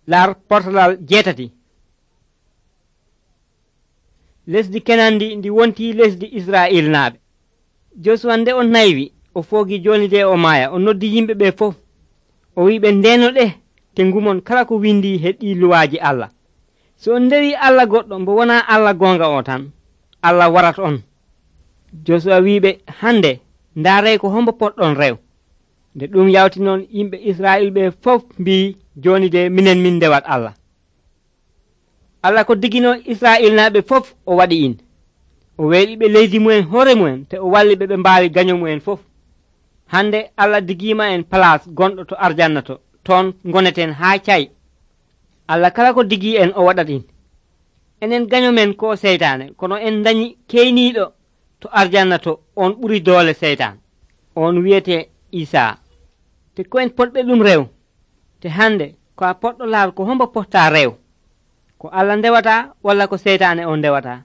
laar portalal 7. lesdi kenan ndi wonti lesdi israil naaɓe. Josuwa nde o naywi o foogi joni de o maaya, o noddi yimɓe ɓe fof o wiɓe ndeno ɗe te ngumon kala ko windi he ɗi luwaaji Allah. So on ndewi Allah goɗɗo mbo wona Allah gonga o tan, Allah warat on. Josuwa wiɓe hande ndaarey ko hombo poɗɗon rew. Nde ɗum yawti noon yimɓe Israil ɓe fof mbi joni de minen min ndewat Allah. Allah ko digino Israil naɓe fof o waɗi in. O weeɓiɓe leydi mumen hoore mumen te o walli ɓe mbaawi gaño mumen fof. Hande Allah digima en place gonɗo to arjanna to, toon goneten haa cay. Allah kala ko digi en o waɗat in. Enen gaño men ko seytane, kono en dañi keyniiɗo to arjanna to, on ɓuri doole seytan. On wiyete Isa. Te ko en potɓe ɗum rew. Te hande ko a poɗɗo laal ko hombo potta rew. Ko Allah ndewata walla ko seytane on ndewata.